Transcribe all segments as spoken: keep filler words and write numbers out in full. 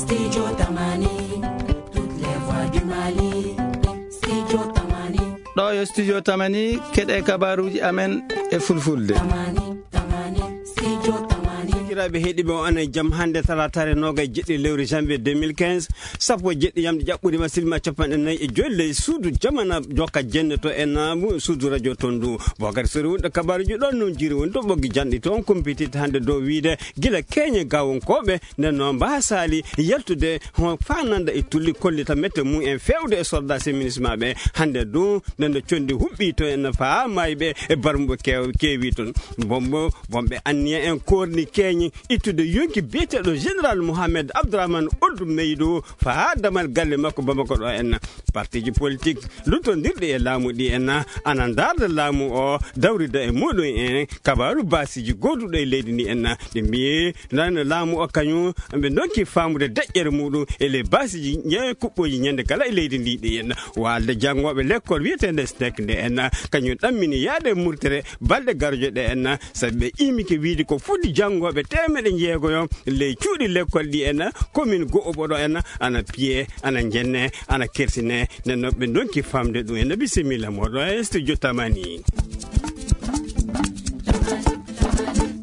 Studio Tamani, toutes les voix du Mali. Studio Tamani. Ɗo yo Studio Tamani, keɗe kabaruuji amen e fulfulde. Tamani, Tamani, Studio Tamani. Sakiraaɓe heɗiiɓe, on e jam. Hannde talaataare noogay e jeɗɗi lewru janvier deux mille quinze, sappo e jeɗɗi yamde ƴaɓɓude ma silma capanɗe nayi e joy ley suudu jamana jokka jenne to en naamu suudu radio ton ndu. Bokari sori wonde kabaruuji ɗon noon jiri woni to ɓoggi janɗi toon kumpititta hannde dow wiide gila keeñe gawonkooɓe nden noon mbaasaali yaltude ho fananda e tulli kollita mette mum en feewde e soldat e ministre maɓɓe. Hannde du nde no condi huɓɓi to en faa mayɓe e barmuɓe kew-, keewi toon. Bombo, bomɓe anniya en korni keeñi ittude yonki biyeteeɗo Général Mohamed Abdourahmane Ould Meydou faa damal galle makko Bamako ɗo en. Partiji politique luttondirɗi e laamu ɗi en ana ndaarda laamu o dawrida e muɗum en kabaaru baasiji gooduɗo e leydi ndi en. Ɓe mbiyi nana laamu o kañum ɓe donki faamude deƴƴere muɗum e ley baasiji ñe kuɓɓoji ñande kala e leydi ndi ɗi en. Walde janngoɓe lekkol wiyeteende snek nde en kañum ɗammini yaade e murtere balɗe garoje ɗe en, sabi ɓe imike wiide ko foti janngoɓe teemeɗe jeegoyo ley cuuɗi lekkol ɗi en, commune go'o ɓoɗo en ana piye, ana jenne, ana kersine. Nden noon ɓe donki famde ɗum en. Bisimilla moɗo e studio Tamani.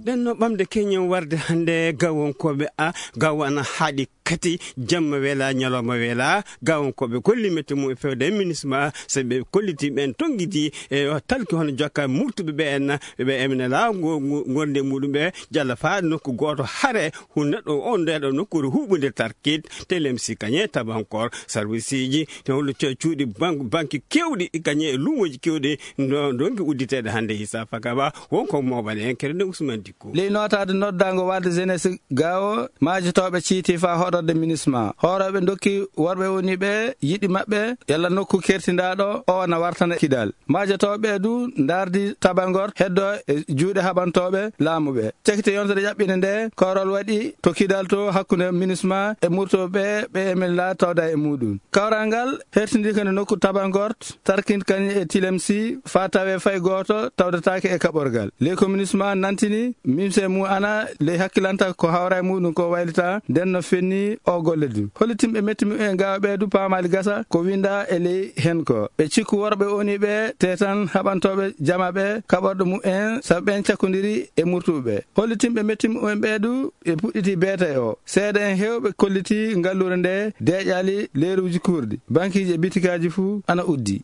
Nden no ɓamde keñen warde hannde gawonkooɓe a gawo ana haaɗi kati jamma weela ñalawma weela gawonkooɓe kolli mette mum e fewde e ministre ma, so ɓe kolliti ɓen tonngiti e talki hono jokka murtuɓe ɓe en ɓe emene la ngo-, ngo-, ngorde muɗum ɓe jalla faa nokku gooto hare hun neɗɗo on ndeɗo nokkuure huɓunde tarkit telem si kañe tabankor serviceji te hollo ce-, cuuɗi bank-, banki kewɗi kañe e luumoji kewɗi ndo-, ndonki udditeede hannde hisa fakaba wonko moɓane en kere nde Ousmane Dikko. Ley nootaade noddaango walde jeunesse Gaawo, maajotooɓe ciiti faa hoɗorde minisma. Hoorooɓe ndokki worɓe woni ɓe yiɗi maɓɓe, yalla nokku kertindaaɗo o na wartana kidal. Maajotooɓe du ndaardi tabangor heddo e juuɗe haɓantooɓe laamu ɓe. Cakite yontere ƴaɓɓinde nde, koorol waɗi to kidal to hakkunde minisma e murtooɓe ɓe emin laa tawda e muɗum. Kawral ngal hertindii ko nde nokku tabangor tarkinta kañum e tilemsi faa tawee fay gooto tawdataake e kaɓorgal. Ley ko minisma nantini mimse mum ana ley hakkilanta ko hawra e muɗum ko waylita nden no fenni o golle du. Hollitimɓe metti mum en gawa ɓe du paamaali gasa ko winda e ley hen ko. Ɓe cikku worɓe oni ɓe te tan haɓantooɓe jama ɓe kaɓorɗo mum en sabu ɓen cakkondiri e murtuɓe. Hollitimɓe metti mum en ɓe du ɓe puɗɗiti beetay o. Seeɗa en heewɓe kolliti ngalluure nde deeƴaali leeruuji kuurɗi. Bankiiji e bitikaaji fuu ana uddi.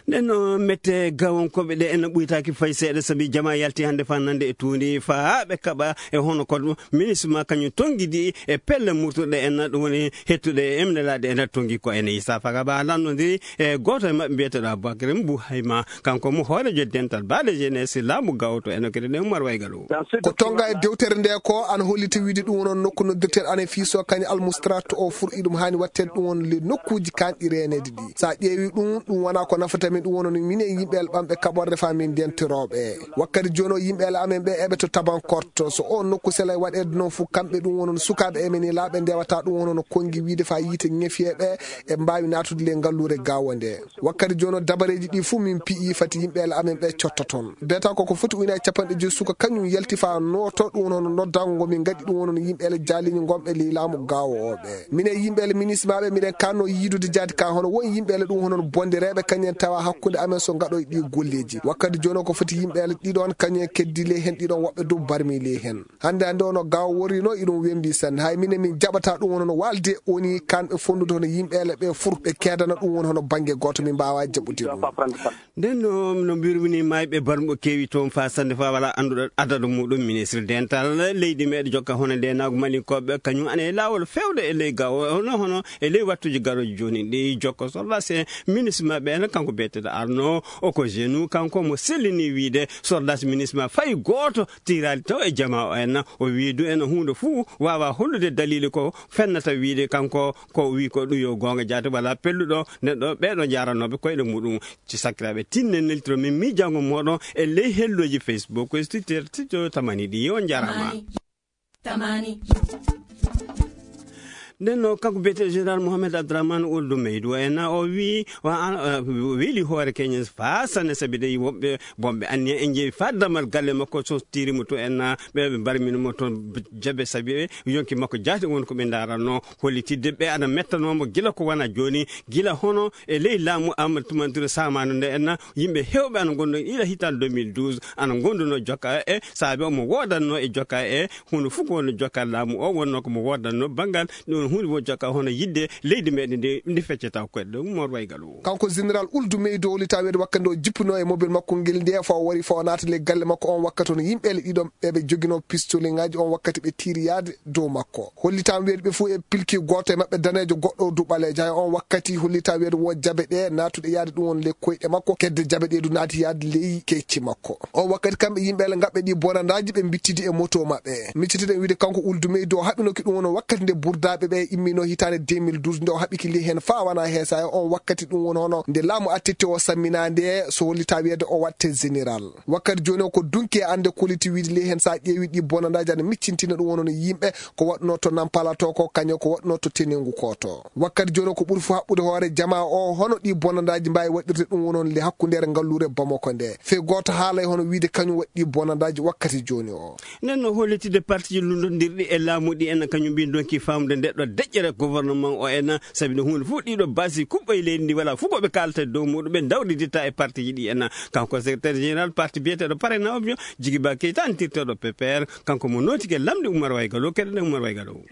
Nden no mette gawonkooɓe ɗe en ɓuytaaki fay seeɗa sabi jama yalti hannde faa nande e tuundi faa ɓe kaɓa e hono ko minisma kañum tonngidi e pelle murtuɗe en ɗum woni hettude e emnelaaɗe en tonngi ko en isa faga ba lanndondiri e gooto e maɓɓe mbiyeteɗo Abubakar Mbu Hayma. Kanko mo hoorejo dental baale jeunesse laamu gawto en o kadi ne Umar Waygal o. Ko tonga e dewtere nde ko ana holliti wiide ɗum woni on nokku noddirteeɗo ana fiiso kañum almustrat o furɗi ɗum haani waɗteede ɗum woni le nokkuuji kanɗi reeneede ɗi. So a ƴeewi ɗum, ɗum wona ko nafata min, ɗum woni on minen yimɓe el ɓamɓe kaɓorde faa min ndentirooɓe. Wakkati jooni o yimɓe el amen ɓe eɓe to Tabankorto. So o nokku selay waɗeede noon fof kamɓe ɗum woni on sukaaɓe e men e laaɓe ndewata ɗum woni on konngi wiide faa yiite ŋefiyeeɓe e mbaawi naatude le ngalluure gaawo nde. Wakkati jooni o dabareeji ɗi fuu min piyi fati yimɓe el amen ɓe cotta toon. Beeta ko ko foti ujunaaji capanɗe joyi suka kañum yalti faa nooto ɗum woni hono noddango ngo min ngaɗi ɗum woni hono yimɓe ele jaaliñi ngonɓe ley laamu gaawo o ɓe. Minen yimɓe ele minismaaɓe miɗen kanno yiidude jaati ka hono won yimɓe ele ɗum hono bondireeɓe kañum en tawa hakkunde amen so ngaɗoy ɗi golleeji. Wakkati jooni o ko foti yimɓe ele ɗiɗon kañum en keddi ley hen ɗiɗon woɓɓe dow barmi ley hen. Hannde hannde o no gaawo worri no iɗum wembi sanne. Hay minen min jaɓata ɗum woni hono walde woni kanɓe fondude hono yimɓe ele ɓe fur ɓe keedana ɗum woni hono bannge gooto min mbaawa jaɓude ɗum. Nden no, no mbirmi ni mayɓe barmuɓe keewi toon faa sannde faa wala annduɗo adadu muɗum. Ministre dental leydi meɗe jokka hono nde naago malinkooɓe kañum ana e laawol fewde e ley gawo hono, hono e ley wattuji garoji jooni ɗi jokko solla se ministre maɓɓe en kanko beeteɗo Arno o ko jeune kanko mo sellini wiide sordas ministre ma fay gooto tirali taw e jama o en o wii du en huunde fuu waawa hollude dalili ko fennata wiide kanko ko wii ko ɗum yo goonga jaati wala pelluɗo neɗɗo ɓeɗo jaranooɓe koyɗe muɗum. Ci sakiraaɓe, tinnen neltiro min miijaango mooɗon e ley helloji Facebook e Twitter, Twitter tamani ɗi. On njaaraama. Tamani. Tamani. Nden no kanko biyeteeɗo Général Mohamed Abdourahmane Ould Meïdou en, o wi, wa-, an-, eh, weeli hoore keñe faa sanne, sabi de wonɓe, wonɓe anniya en njeewi faa damal galle makko, so tiiri mo to en, ɓe, ɓe mbarmini mo toon jabe, sabi ɓe yonki makko jaati won ko ɓe ndaranno, hollitidde ɓe ana mettanoo mo gila ko wona jooni, gila hono e ley laamu Amadou Toumani Touré Saamano nde en, yimɓe heewɓe ana ngonno ila hitaande deux mille douze, ana ngonduno jokka e saabe omo woodanno e jokka e Huunde fof ko wonno jokkal laamu o, wonno ko mo woodannoo banngal, ɗum woni huunde won jokkal hono yiɗde leydi meɗen ndi, ndi feccata ko koyɗe ɗum, Mor Waygal o. Kanko Général Ould Meïdou, o lita weede wakkati o jippunoo e mobile makko ngel nde, fa o wari fa o naata le galle makko on wakkati, hono yimɓe le ɗiɗo ɓe ɓe joginoo pistolingaaji on wakkati ɓe tiiri yaade dow makko. Hollitaama weede ɓe fof e pilki gooto e maɓɓe daneejo, goɗɗo o du ɓaleejo. Hay on wakkati hollita weede wo jabe ɗe naatuɗe yaade ɗum won le koyɗe makko, kedde jabe ɗe du naati yaade ley kecci makko. O wakkati kamɓe yimɓe le ngaɓɓe ɗi bonandaaji ɓe mbittidi e moto maɓɓe. Miccitiɗen wiide kanko Ould Meïdou o haɓinoki ɗum won wakkati nde burdaaɓe ɓe immino hitaande deux mille douze nde o haɓiki li heen faa wana heesa e on wakkati ɗum won hono nde laamu attitte o sammina nde so hollita wiyeede o watte général. Wakkati jooni o ko dunki e annde koliti wiide li heen sa ƴeewi ɗi bonandaaji ana miccintina ɗum won hono yimɓe ko waɗunoo to Nampala to ko kañum ko waɗunoo to Tenengu ko to. Wakkati jooni ko ɓuri fof haɓɓude hoore jamaa o, hono ɗi bonandaaji mbaawi waɗirde ɗum woni hono le hakkundeere ngalluure Bamako nde. Fey gooto haalay hono wiide kañum waɗi ɗi bonandaaji wakkati jooni o. Nden no hollitide partiji lundondirɗi e laamu ɗi en kañum mbi donki faamde nde ɗo deƴƴere gouvernement o en, sabi no huunde fof ɗiɗo basi kuɓɓo e leydi ndi wala fof ko ɓe kaalata e dow muɗum ɓe dawriditta e partiji ɗi en. Kanko secrétaire général parti biyeteeɗo Parena Obio, Jigiba Keita antirteeɗo P P R, kanko mo nootike lamɗi Umar Waygalo, keɗoɗen Umar Waygalo.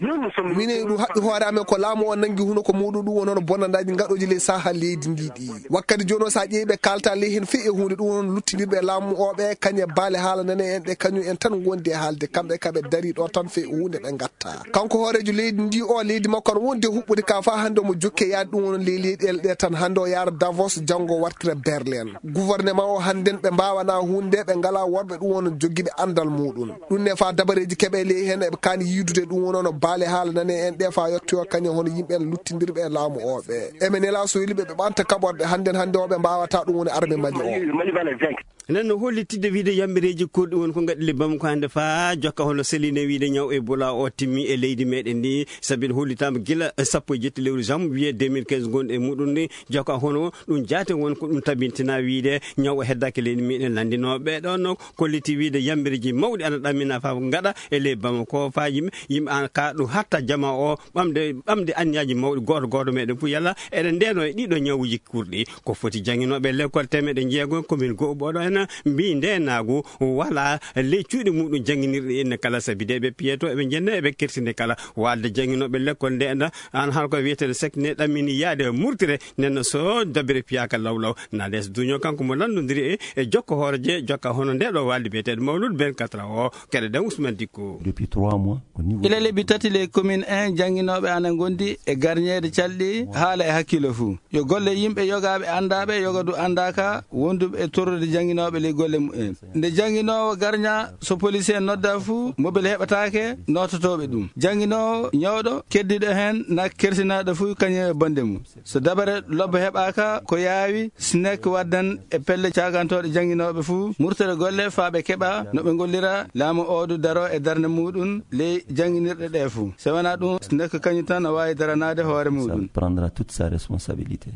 Minen ɗum haɓɓi hoore amen ko laamu o nanngi huno ko muuɗum ɗum woni hono bonandaaji ngaɗooji ley saha leydi ndi ɗi. Wakkati jooni o, so a ƴeewi ɓe kaalta ley heen fii e huunde ɗum woni hono luttindirɓe e laamu o ɓe, kañum e baale haala nane en ɗe, kañum en tan ngondi e haalde, kamɓe ka ɓe darii ɗo tan fii e huunde ɓe ngatta. Kanko hooreejo leydi ndi o, leydi makko ana wondi e huɓɓude ka faa hannde omo jokki e yaade ɗum woni ley leyɗeele ɗe tan. Hannde o yaara Davos, janngo o wartira Berlin. Gouvernement o hannden ɓe mbaawanaa huunde, ɓe ngalaa worɓe ɗum woni jogiiɓe anndal muuɗum. Ɗum ne faa dabareeji keɓe ley heen eɓe kaani yiidude ɗum woni hono baale haala nane en ɗe faa yottoyoo kañum hono yimɓe en luttindirɓe e laamu o ɓe. Eɓe nelaa so weli ɓe ɓe ɓanta kaɓorɗe hannden hannde o ɓe mbaawataa ɗum woni arme Mali o. Nden no hollitidde wiide yambireeji kurɗi woni ko ngaɗi le Bamako hannde faa jokka hono seline wiide ñaw Ebola o timmi e leydi meɗen ndi, sabi hollitaama gila sappo e jetti lewru janvier deux mille quinze ngonɗi e muɗum ndi, jokka hono ɗum jaate won ko ɗum tabintina wiide ñaw o heddaaki leydi meɗen lanndinooɓe ɗon no kolliti wiide yambireeji mawɗi ana ɗammina faa ngaɗa e ley Bamako faa yimɓe, yimɓe an ka ɗum hatta jama o ɓamde, ɓamde anniyaaji mawɗi gooto gooto meɗen fof yalla eɗen ndeno e ɗiɗo ñawuuji kurɗi. Ko foti jannginooɓe lekkol temeɗe jeego commune Go'oɓoɗo en mbi ndeenaagu wala ley cuuɗi muɗum jannginirɗi enne kala sabi de ɓe piyeto eɓe njenna eɓe kersinde kala walde jannginooɓe lekkol nde enda an hara ko wiyeteeɗo sekne ɗammini yaade murtire nenno so dabire piyaka lawlaw na les duño kanko mo lanndondiri e, e jokko hooreje jokka hono nde ɗo walde biyeteeɗo Mawlud Ben Katra o. Keɗe ɗen Ousmane Dikko. Depuis trois mois, au niveau ila lebbi tati ley commune en jannginooɓe ana ngondi e garñeede calɗi haala e hakkilo fuu. Yo golle yimɓe yogaaɓe anndaaɓe, yoga du anndaaka, wonduɓe e torrude jannginooɓe ley golle mumen. Nde jannginoowo garña, so police en nodda fuu, mobile heɓataake noototooɓe ɗum. Jannginoowo ñawɗo keddiɗo heen na kersinaaɗo fuu kañum e bonde mum. So dabare lobbo heɓaaka, ko yaawi, SNEC waddan e pelle caagantooɗe jannginooɓe fuu, murtere golle faa ɓe keɓa no ɓe ngollira, laamu o du daro e darnde muɗum ley jannginirɗe ɗe fuu. So wanaa ɗum, SNEC kañum tan na waawi daranaade hoore muɗum. Ça prendra toute sa responsabilité.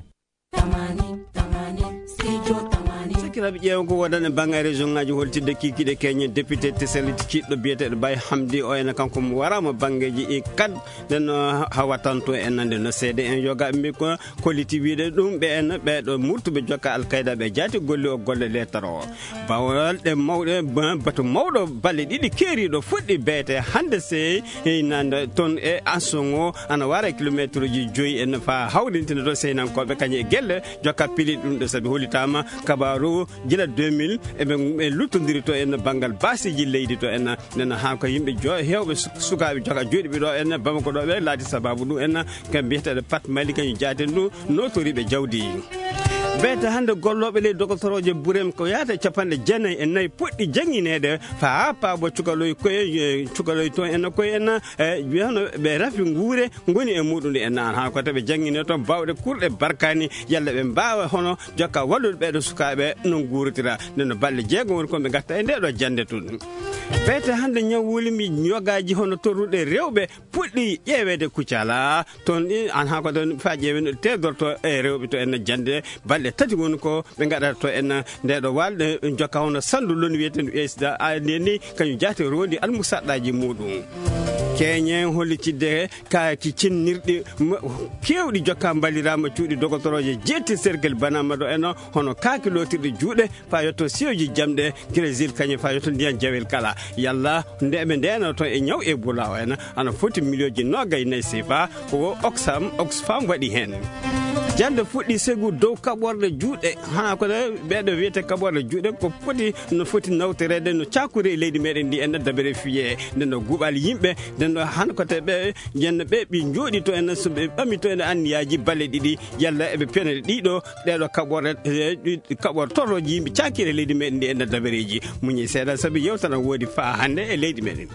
Sakiraaɓe ƴeewa ko woodani e bannge région ngaji holtidde kikiɗe keñe député Tesel kiɗɗo biyeteeɗo Bay Hamdi o ena kanko mo waraama banngeeji e kad nden hawatanto en nande no seede en yogaaɓe mbi ko kolliti wiide ɗum ɓe en ɓeeɗo murtuɓe jokka alkayda ɓe jaati golle o golle lettaro. Bawal ɗe mawɗe, ba-, batu mawɗo balle ɗiɗi keeriiɗo fuɗɗi beete hannde sey nande toon e Ansongo ana wara e kilomeetruuji joyi en faa hawrintina to seynankooɓe kañum e gelle jokka pili ɗum ɗo sabi hollitaama kabaaru gila deux mille eɓe, ɓe luttondiri to en banngal baasiiji leydi to en nana haa ko yimɓe jo-, heewɓe su-, sukaaɓe joka joɗiɓe ɗo en Bamako ɗo ɓe laati sabaabu ɗum en kam biyeteeɗo Pat Mali kañum jaaten ɗum nootoriiɓe jawdi. Beete hannde gollooɓe ley dogotorooje Burem ko yaata e capanɗe jeenayi e nayi puɗɗi janngineede faa haa paabo cukaloy koye, e, cukaloy toon en koye en, e, wiyano ɓe rafi nguure ngoni e muuɗum en. Aan haa ko tawi ɓe janngine toon baawɗe kurɗe barkaani, yalla ɓe mbaawa hono jokka wallude ɓeeɗo sukaaɓe no nguurotira. Nden no balɗe jeego woni ko ɓe ngatta e ndee ɗoo jannde toon. Beete hannde ñawuuli mi yogaaji hono torruɗe rewɓe puɗɗi ƴeeweede Kucala. Toon ɗi, aan haa ko toon faa ƴeewen teedorto e rewɓe to en jannde balɗe tati woni ko ɓe ngaɗata to en ndee ɗoo waalde jokka hono sanndu loni wiyeteendu U S D A. Ndeen ni kañum jaati rondi almusaɗɗaaji muuɗum. Keñen hollitidde kaaki cinnirɗi ma-, keewɗi jokka mballiraama cuuɗi dogotorooje jeetti cercle Banama ɗo en hono kaaki lootirɗi juuɗe faa yotto siyoji jamɗe, Brésil kañum faa yotto ndiyan jawel kala. Yalla nde ɓe ndeenoo to e ñaw Ebola o en, ana foti miliyonji noogay nayi sefa, ko Oxfam, Oxfam waɗi heen. Jannde fuɗɗi segu dow kaɓorɗe juuɗe, haa ko ɗe ɓeeɗo wiyete kaɓorɗe juuɗe, ko foti, no foti nawtoreede, no caakuri e leydi meɗen ndi en dabere fiye, nde no guɓal yimɓe, nde no han ko te ɓe, yen ɓe ɓe njooɗi to en, so ɓe ɓami to en anniyaaji balɗe ɗiɗi, yalla eɓe pene ɗiɗo, ɗeeɗo kaɓorɗe, e, ɗi kaɓortorooji yimɓe caakiri e leydi meɗen ndi e nder dabareeji. Muñi seeɗa sabi yewtere woodi faa hannde e leydi meɗen.